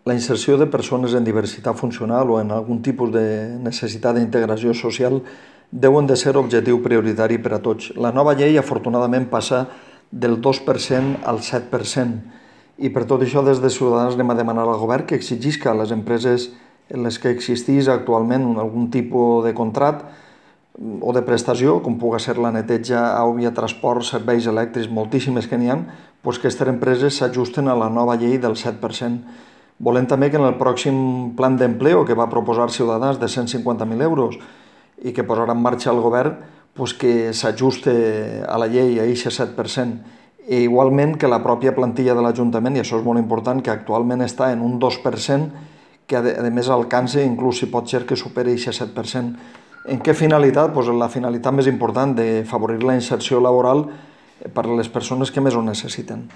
La inserció de persones en diversitat funcional o en algun tipus de necessitat d'integració social deuen de ser objectiu prioritari per a tots. La nova llei, afortunadament, passa del 2% al 7%, i per tot això des de Ciutadans anem a demanar al govern que exigisca a les empreses en les que existís actualment algun tipus de contrat o de prestació, com pugui ser la neteja, àuia, transport, serveis elèctrics, moltíssimes que n'hi ha, doncs que aquestes empreses s'ajusten a la nova llei del 7%. Volem també que en el pròxim plan d'empleo que va proposar Ciutadans de 150.000 euros i que posarà en marxa el govern, doncs que s'ajuste a la llei a aquest 7%. I igualment que la pròpia plantilla de l'Ajuntament, i això és molt important, que actualment està en un 2%, que a més alcance, inclús si pot ser que superi aquest 7%. En què finalitat? Doncs la finalitat més important de favorir la inserció laboral per a les persones que més ho necessiten.